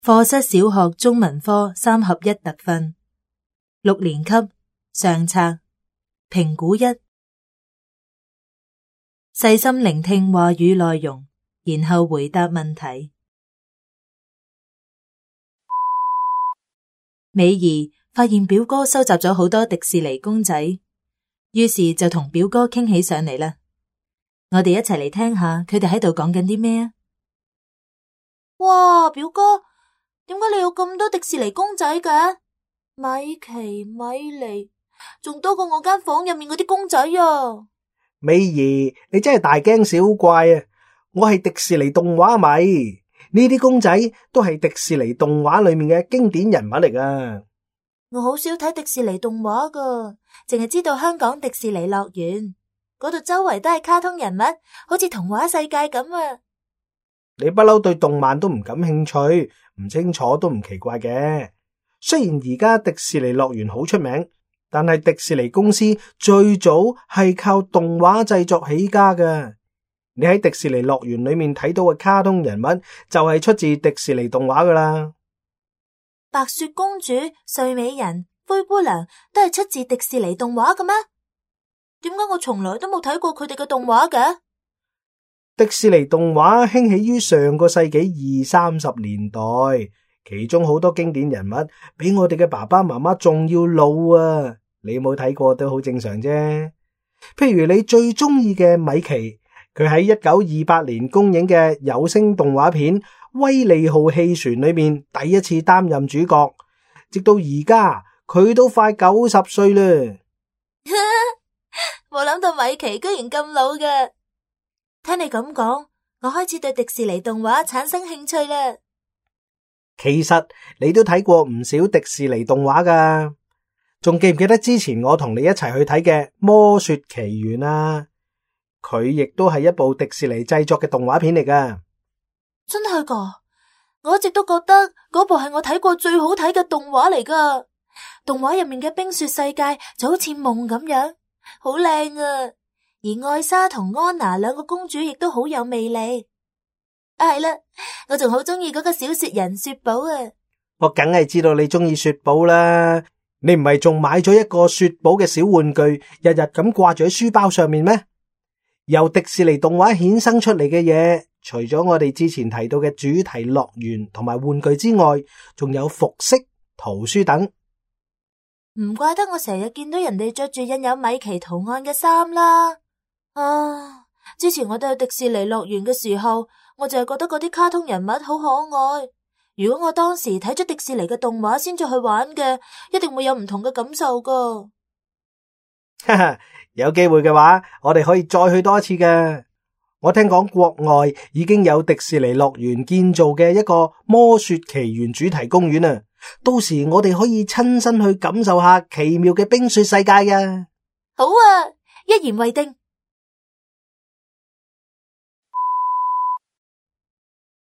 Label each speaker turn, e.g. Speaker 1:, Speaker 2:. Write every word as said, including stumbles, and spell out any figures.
Speaker 1: 課室小學中文科三合一特訓，六年級上冊，評估一，細心聆聽話語內容，然後回答問題。美儀發現表哥收集咗好多迪士尼公仔，於是就同表哥傾起上嚟啦。我哋一齊嚟聽下佢哋喺度講緊啲咩啊！
Speaker 2: 哇，表哥，點解你有咁多迪士尼公仔嘅？米奇、米妮，仲多過我間房入面嗰啲公仔啊！
Speaker 3: 美儀，你真係大驚小怪啊！我係迪士尼動畫迷，呢啲公仔都係迪士尼動畫裏面嘅經典人物嚟噶。
Speaker 2: 我好少睇迪士尼動畫噶，淨係知道香港迪士尼樂園嗰度周圍都係卡通人物，好似童話世界咁啊！
Speaker 3: 你不嬲對動漫都唔感興趣，唔清楚都唔奇怪嘅。雖然而家迪士尼樂園好出名，但係迪士尼公司最早係靠動畫製作起家㗎。你喺迪士尼樂園裏面睇到嘅卡通人物就係出自迪士尼動畫噶啦。
Speaker 2: 白雪公主、睡美人、灰姑娘都係出自迪士尼動畫嘅咩？點解我從來都冇睇過佢哋嘅動畫嘅？
Speaker 3: 迪士尼動畫興起於上個世紀二三十年代，其中好多經典人物比我哋嘅爸爸媽媽仲要老啊！你冇睇過都好正常啫。譬如你最中意嘅米奇，佢喺一九二八年公映嘅有聲動畫片《威利號汽船》裏面第一次擔任主角，直到而家佢都快九十歲啦。
Speaker 2: 冇諗到米奇居然咁老嘅。聽你咁講，我開始對迪士尼動畫產生興趣啦。
Speaker 3: 其實你都睇過唔少迪士尼動畫噶，仲記唔記得之前我同你一齊去睇嘅《魔雪奇緣》啊？佢亦都係一部迪士尼製作嘅動畫片嚟噶。
Speaker 2: 真係噶，我一直都覺得嗰部係我睇過最好睇嘅動畫嚟噶。動畫入面嘅冰雪世界就好似夢咁樣，好靚啊！而艾莎同安娜兩個公主亦都好有魅力。啊，係啦，我仲好中意嗰個小雪人雪寶啊！
Speaker 3: 我梗係知道你中意雪寶啦，你唔係仲買咗一個雪寶嘅小玩具，日日咁掛住喺書包上面咩？由迪士尼動畫衍生出嚟嘅嘢，除咗我哋之前提到嘅主題樂園同埋玩具之外，仲有服飾、圖書等。
Speaker 2: 唔怪得我成日見到人哋着住印有米奇圖案嘅衫啦。啊！之前我哋去迪士尼樂園嘅時候，我就係覺得嗰啲卡通人物好可愛。如果我當時睇咗迪士尼嘅動畫先再去玩嘅，一定會有唔同嘅感受噶。
Speaker 3: 哈哈，有機會嘅話，我哋可以再去多一次噶。我聽講國外已經有迪士尼樂園建造嘅一個魔雪奇緣主題公園啊！到時我哋可以親身去感受下奇妙嘅冰雪世界啊！
Speaker 2: 好啊，一言為定。